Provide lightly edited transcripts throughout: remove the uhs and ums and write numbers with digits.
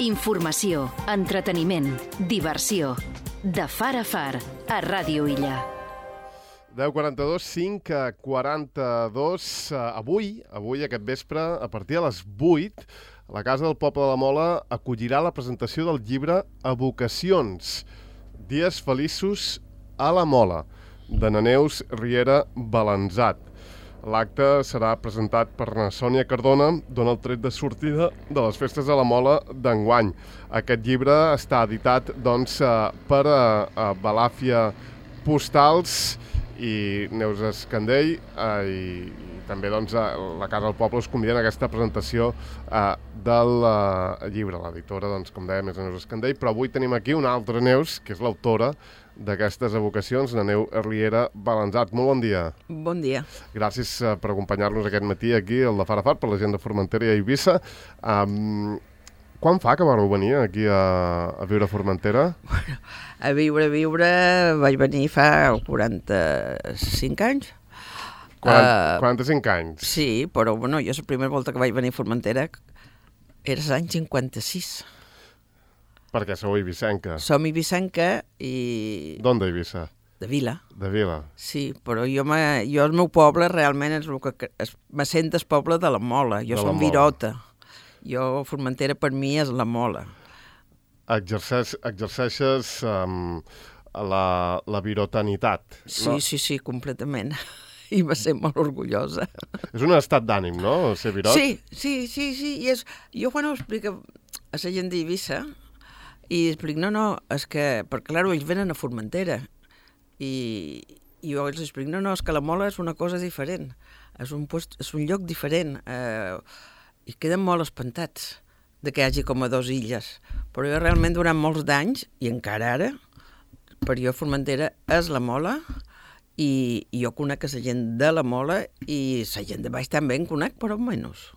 Informació, entreteniment, diversió. De far a far, a Ràdio Illa. 10:42, 5:42. Avui, aquest vespre, a partir de les 8, la Casa del Poble de la Mola acollirà la presentació del llibre Evocacions, dies feliços a la Mola, de na Neus Riera Balanzat. L'acte serà presentat per na Sònia Cardona, dona el tret de sortida de les festes de la Mola d'enguany. Aquest llibre està editat per Balàfia Postals i Neus Escandell i també la Casa del Poble us conviden a aquesta presentació del llibre. L'editora, com dèiem, és Neus Escandell, però avui tenim aquí una altra Neus, que és l'autora d'aquestes evocacions, la Neus Riera Balanzat. Molt bon dia. Bon dia. Gràcies per acompanyar-nos aquest matí aquí, al de Far a Far, per la gent de Formentera i Eivissa. Quan fa que vareu venir aquí a viure a Formentera? Bueno, a viure vaig venir fa 45 anys. 45 anys? Sí, però jo la primera volta que vaig venir a Formentera era l'any 56. Perquè sou eivissenca. Som eivissenca i... D'on d'Eivissa? De Vila. De Vila. Sí, però jo el meu poble realment és el que me sent el poble de la Mola. Jo som virota. Jo, Formentera, per mi, és la Mola. Exerceixes la virotanitat, no? Sí, completament. I me sent molt orgullosa. És un estat d'ànim, no?, ser virot? Sí. Jo quan ho explico a la gent d'Eivissa, i explico, no, és que, perquè clar, ells venen a Formentera, i jo els explico, no, és que la Mola és una cosa diferent, és un lloc diferent, i queden molt espantats de que hi hagi com a dues illes. Però jo realment durant molts d'anys, i encara ara, per jo Formentera és la Mola, i jo conec la gent de la Mola, i la gent de baix també en conec, però menys.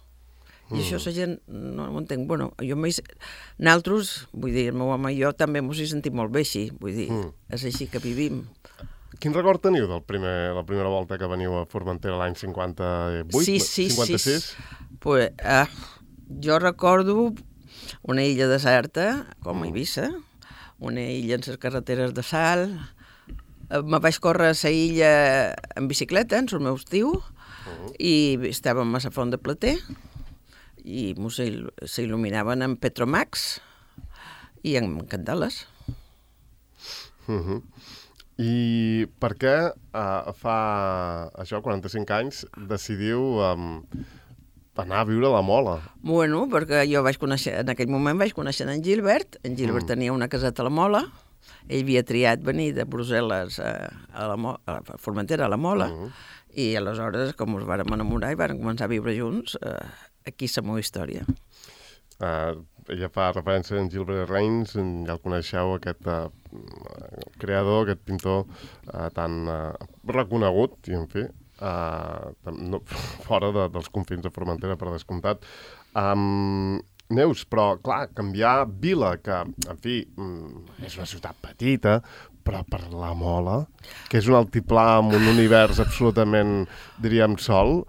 I això la gent no ho entenc. Nosaltres, vull dir, el meu home i jo també m'ho he sentit molt bé així, vull dir, és així que vivim. Quin record teniu de la primera volta que veniu a Formentera l'any 58? 56? Pues, jo recordo una illa deserta, com a Eivissa, una illa en les carreteres de sal. Me vaig córrer a la illa en bicicleta, en el meu estiu, i estàvem a la Font de Plater, i s'il·luminaven amb Petromax i amb candeles. I per què fa 45 anys decidiu anar a viure a la Mola? Bueno, perquè jo en aquell moment vaig conèixer en Gilbert. En Gilbert tenia una caseta a la Mola. Ell havia triat venir de Brussel·les a Formentera, a la Mola, i aleshores, com ens vàrem enamorar i vàrem començar a viure junts, aquí és la meva història. Ella fa referència a en Gilbert Reins, ja el coneixeu, aquest creador, aquest pintor tan reconegut, i en fi, fora dels confins de Formentera, per descomptat. Neus, però, clar, canviar Vila, que, en fi, és una ciutat petita, però per la Mola, que és un altiplà amb un univers absolutament, diríem, sol.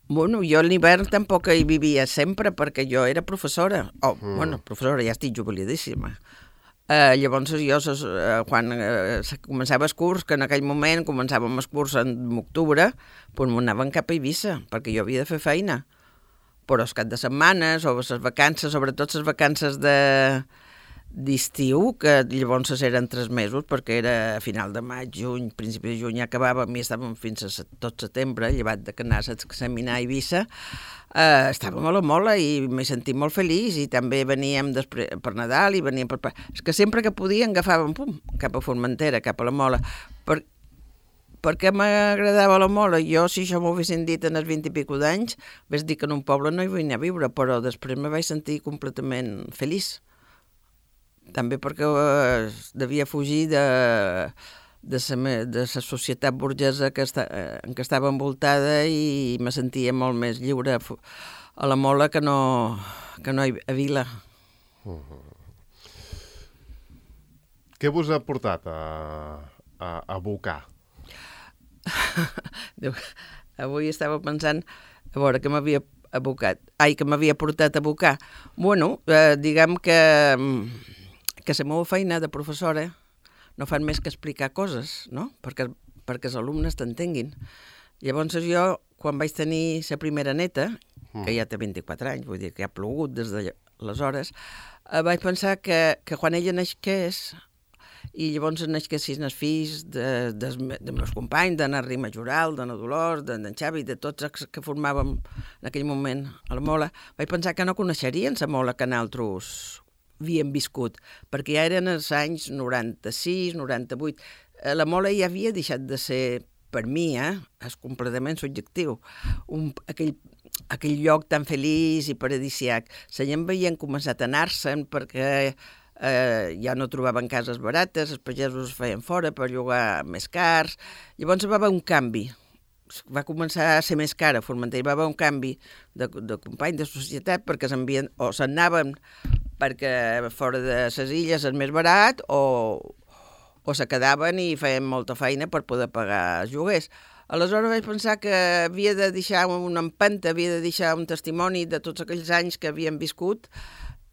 Bueno, jo a l'hivern tampoc hi vivia sempre, perquè jo era professora. Professora, ja estic jubiladíssima. Llavors jo, quan començava el curs, que en aquell moment començàvem el curs en octubre, doncs m'anaven cap a Eivissa, perquè jo havia de fer feina. Però els cap de setmanes, o les vacances, sobretot les vacances d'estiu, que llavors eren 3 mesos, perquè era a final de maig, juny, principi de juny, ja acabàvem i estàvem fins a tot setembre, llevat de que anàs a examinar a Eivissa, estàvem a la Mola i m'he sentit molt feliç, i també veníem per Nadal, i veníem per... És que sempre que podíem agafàvem, cap a Formentera, cap a la Mola. Per què m'agradava la Mola? Jo, si això m'ho haguessin dit en els 20 i pico d'anys, vaig dir que en un poble no hi vull anar a viure, però després me vaig sentir completament feliç. També perquè devia fugir de la societat burgesa en què estava envoltada, i me sentia molt més lliure a la Mola que no a Vila. Què vos ha portat a Bocar? Avui estava pensant a veure què m'havia que m'havia portat a abocar. Bueno, diguem que la meva feina de professora no fan més que explicar coses, no? Perquè els alumnes t'entenguin. Llavors jo, quan vaig tenir la primera neta, que ja té 24 anys, vull dir que ha plogut des d'aleshores, vaig pensar que quan ella naixés, i llavors naixessin els fills dels meus companys, d'en Arri Majoral, d'en Dolors, d'en Xavi, de tots els que formàvem en aquell moment a la Mola, vaig pensar que no coneixerien la Mola que nosaltres havíem viscut, perquè ja eren els anys 96, 98. La Mola ja havia deixat de ser, per mi, és completament subjectiu, aquell lloc tan feliç i paradisiac. La gent havien començat a anar-se'n perquè ja no trobaven cases barates, els pagesos es feien fora per llogar més cars. Llavors va haver un canvi. Va començar a ser més cara a Formentera, va haver un canvi de companys de societat perquè s'anaven perquè fora de les illes és més barat o se quedaven i feien molta feina per poder pagar els lloguers. Aleshores vaig pensar que havia de deixar una empenta, havia de deixar un testimoni de tots aquells anys que havíem viscut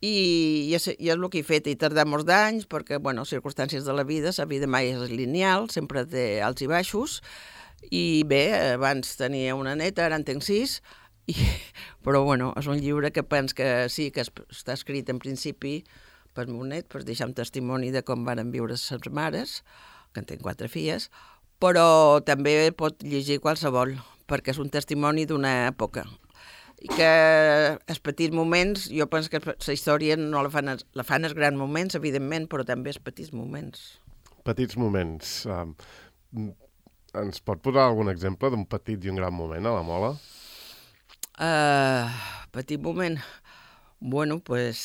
i és el que he fet. He tardat molts d'anys perquè, bueno, circumstàncies de la vida mai és lineal, sempre té alts i baixos. I bé, abans tenia una neta, ara en tenc 6, però bueno, és un llibre que penso que sí, que està escrit en principi pel meu net, per deixar un testimoni de com van viure les mares, que en tenc 4 filles, però també pot llegir qualsevol, perquè és un testimoni d'una època. I que els petits moments, jo penso que la història no la fan els grans moments, evidentment, però també els petits moments. Petits moments. Ens pot posar algun exemple d'un petit i un gran moment a la Mola? Petit moment? Bueno, pues...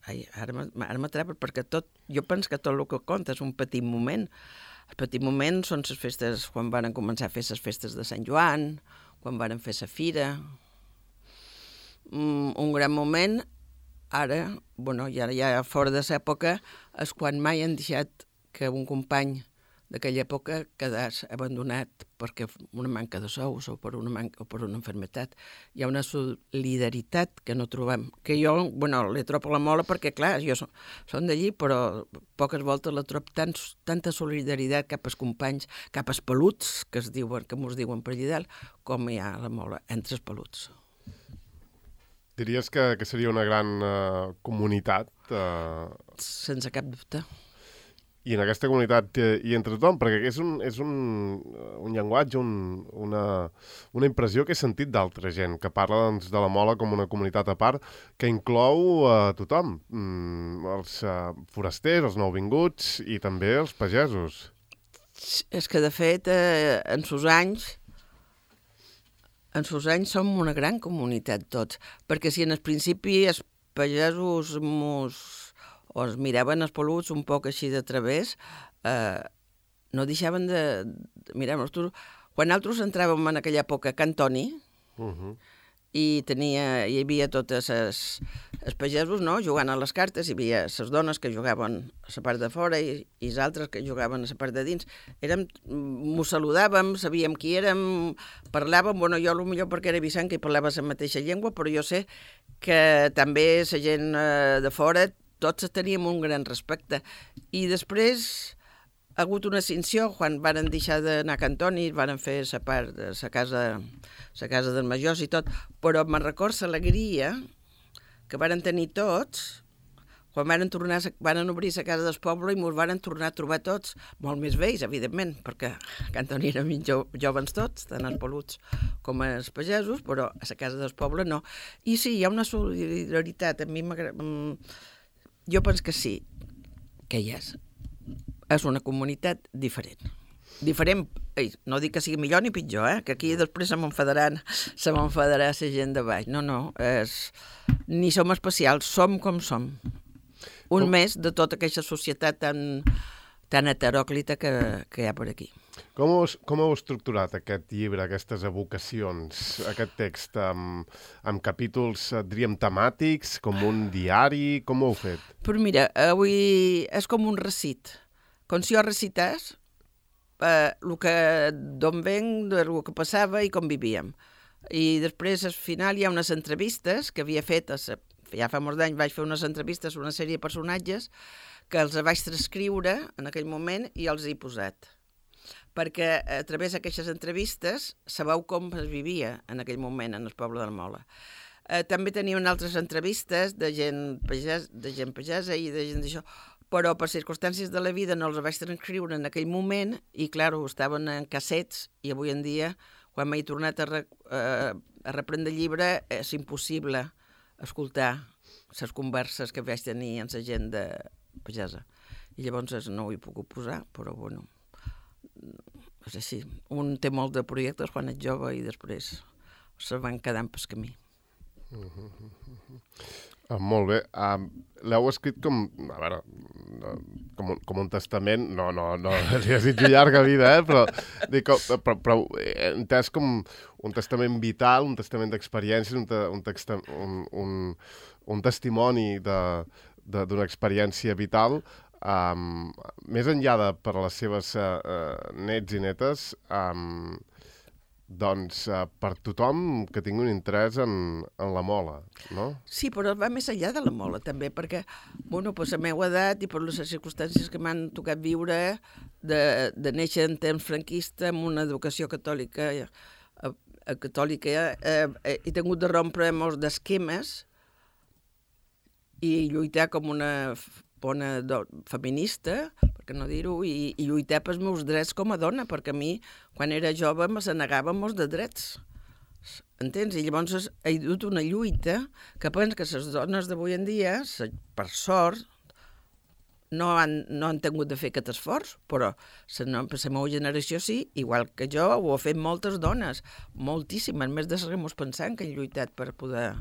Ara m'atrapa perquè jo penso que tot el que compta és un petit moment. Els petits moments són les festes, quan van començar a fer les festes de Sant Joan, quan van fer la fira. Un gran moment, ara, bueno, ja fora de l'època, és quan mai han deixat que un company d'aquella època quedés abandonat perquè una manca de sous o per una malaltia. Hi ha una solidaritat que no trobem, que jo, bueno, la trobo a la Mola perquè, clar, jo som d'allí, però poques voltes la trobo tanta solidaritat cap als companys, cap als peluts, que mos diuen per allà dalt, com hi ha a la Mola, entre els peluts. Diries que seria una gran comunitat? Sense cap dubte. I en aquesta comunitat i entre tothom, perquè és un llenguatge, una impressió que he sentit d'altra gent, que parla doncs, de la Mola com una comunitat a part, que inclou tothom, els forasters, els nouvinguts i també els pagesos. És que, de fet, en sos anys som una gran comunitat tots, perquè si en el principi els pagesos o es miraven els peluts un poc així de través, no deixaven de mirar-nos. Quan nosaltres entràvem en aquella època a Can Toni, hi havia totes els pagesos, no?, jugant a les cartes, hi havia les dones que jugaven a la part de fora i els altres que jugaven a la part de dins. Mos saludàvem, sabíem qui érem, parlàvem, bueno, jo potser perquè era vicenca i parlava la mateixa llengua, però jo sé que també la gent de fora tots teníem un gran respecte. I després ha hagut una extinció quan varen deixar d'anar a Can Toni, varen fer la part de la casa dels majors i tot, però me'n recordo l'alegria que varen tenir tots quan varen obrir la casa del poble i ens varen tornar a trobar tots, molt més vells, evidentment, perquè a Can Toni eren joves tots, tant els peluts com els pagesos, però a la casa del poble no. I sí, hi ha una solidaritat, a mi m'agrada... Jo penso que sí, que hi és. És una comunitat diferent. Diferent, no dic que sigui millor ni pitjor, que aquí després se m'enfadarà la gent de baix. No, ni som especials, som com som. Més de tota aquesta societat tan heteròclita que hi ha per aquí. Com heu estructurat aquest llibre, aquestes evocacions, aquest text, amb capítols, diríem, temàtics, com un diari? Com ho heu fet? Però mira, avui és com un recit. Com si jo recités d'on venc, del que passava i com vivíem. I després, al final, hi ha unes entrevistes que havia fet, ja fa molts anys vaig fer unes entrevistes a una sèrie de personatges que els vaig transcriure en aquell moment i els he posat. Perquè a través d'aquestes entrevistes sabeu com es vivia en aquell moment en el poble de la Mola. També tenien altres entrevistes de gent pagesa i de gent d'això, però per circumstàncies de la vida no els vaig transcriure en aquell moment i, clar, estaven en cassets i avui en dia, quan m'he tornat a reprendre el llibre, és impossible escoltar les converses que vaig tenir amb la gent de pagesa. I llavors no ho he pogut posar, però bueno, és així. Un té molt de projectes quan és jove i després se van quedant pel camí. Molt bé. L'heu escrit com, a veure, com un testament, no, li desitjo llarga vida, però he entès com un testament vital, un testament d'experiències, un testimoni d'una experiència vital, més enllà per a les seves nets i netes, doncs per tothom que tingui un interès en la mola, no? Sí, però va més enllà de la mola, també, perquè, bueno, per la meva edat i per les circumstàncies que m'han tocat viure, de néixer en temps franquista amb una educació catòlica, he tingut de rompre molts d'esquemes i lluitar com una bona feminista, per què no dir-ho, i lluitar pels meus drets com a dona, perquè a mi, quan era jove, me se negava molts de drets. Entens? I llavors he dut una lluita que penso que les dones d'avui en dia, per sort, no han tingut de fer aquest esforç, però la meva generació sí, igual que jo, ho ha fet moltes dones, moltíssimes, més de seguir-nos pensant que han lluitat per poder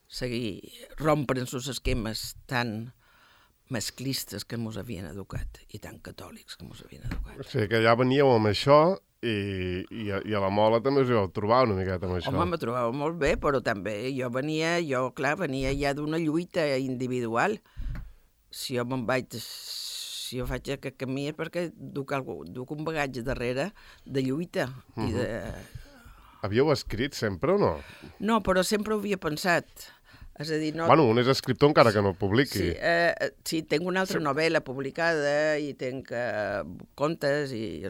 seguir rompre els esquemes tan masclistes que ens havien educat i tan catòlics que ens havien educat. O sigui que ja veníeu amb això i a la mola també us hi vau trobar una miqueta amb això. Home, me trobava molt bé, però també jo venia ja d'una lluita individual. Si jo faig aquest camí és perquè duc un bagatge darrere de lluita. Havíeu escrit sempre o no? No, però sempre ho havia pensat. És a dir, no... Bueno, un és escriptor encara que no publiqui. Sí, tinc una altra novel·la publicada i tinc contes i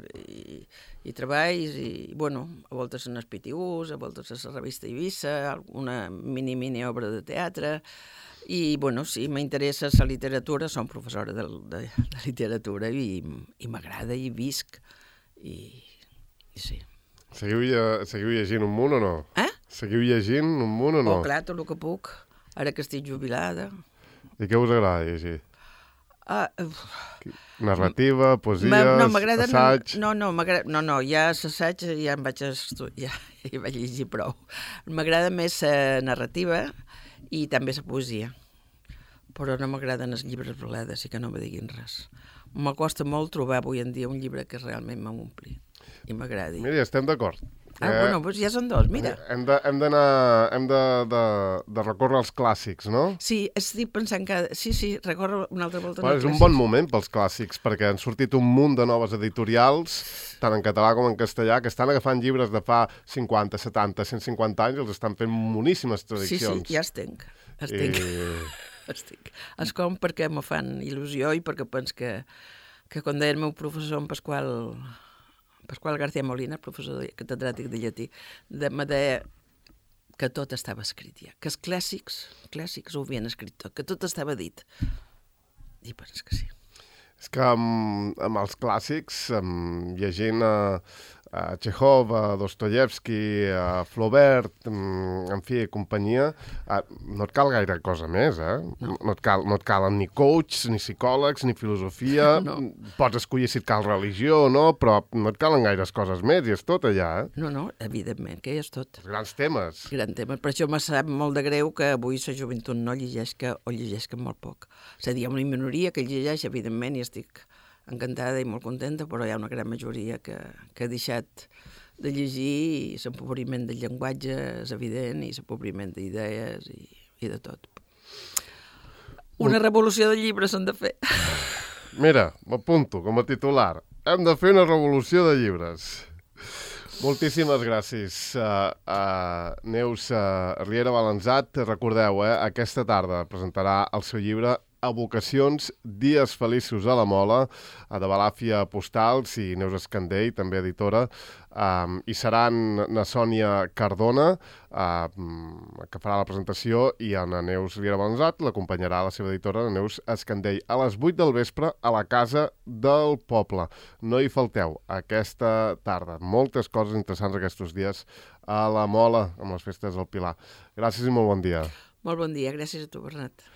treballs i, bueno, a voltes en els PTUs, a voltes a la revista Eivissa, una mini obra de teatre i, bueno, sí, m'interessa la literatura, som professora de literatura i m'agrada i visc i sí. Seguiu llegint un munt o no? Seguiu llegint un munt o no? Oh, clar, tot el que puc. Ara que estic jubilada. I què us agrada llegir? Narrativa, poesies, assaig... No, ja l'assaig ja em vaig estudiar, ja hi vaig llegir prou. M'agrada més la narrativa i també la poesia. Però no m'agraden els llibres blades i que no me diguin res. M'acosta molt trobar avui en dia un llibre que realment m'ompli i m'agradi. Mira, estem d'acord. Bueno, doncs ja són dos, mira. Hem de recórrer als clàssics, no? Sí, estic pensant que... Sí, recórrer una altra volta. És un bon moment pels clàssics, perquè han sortit un munt de noves editorials, tant en català com en castellà, que estan agafant llibres de fa 50, 70, 150 anys i els estan fent moníssimes traduccions. Sí, ja els tinc. Els com perquè me fan il·lusió i perquè penso que quan deia el meu professor, en Pasqual García Molina, professor catedràtic de llatí, me deia que tot estava escrit ja, que els clàssics ho havien escrit tot, que tot estava dit. I penso que sí. És que amb els clàssics, llegint a Chekhov, a Dostoyevsky, a Flaubert, en fi, companyia, no et cal gaire cosa més, No et calen ni coachs, ni psicòlegs, ni filosofia. No. Pots escollir si et cal religió o no, però no et calen gaires coses més, i és tot allà, No, evidentment, que és tot. Els grans temes. Per això me sap molt de greu que avui la joventut no llegeixca o llegeixca molt poc. És a dir, hi ha una minoria que llegeix, evidentment, i estic encantada i molt contenta, però hi ha una gran majoria que ha deixat de llegir i l'empobriment del llenguatge és evident i l'empobriment d'idees i de tot. Una revolució de llibres s'han de fer. Mira, m'apunto com a titular. Hem de fer una revolució de llibres. Moltíssimes gràcies. Neus Riera Balanzat, recordeu, aquesta tarda presentarà el seu llibre Evocacions, dies feliços a la Mola, de Balàfia Postals i Neus Escandell, també editora. Hi seran na Sònia Cardona, que farà la presentació, i a na Neus Riera Balanzat l'acompanyarà la seva editora, la Neus Escandell, a les 8 del vespre a la Casa del Poble. No hi falteu aquesta tarda. Moltes coses interessants aquests dies a la Mola, amb les festes del Pilar. Gràcies i molt bon dia. Molt bon dia, gràcies a tu, Bernat.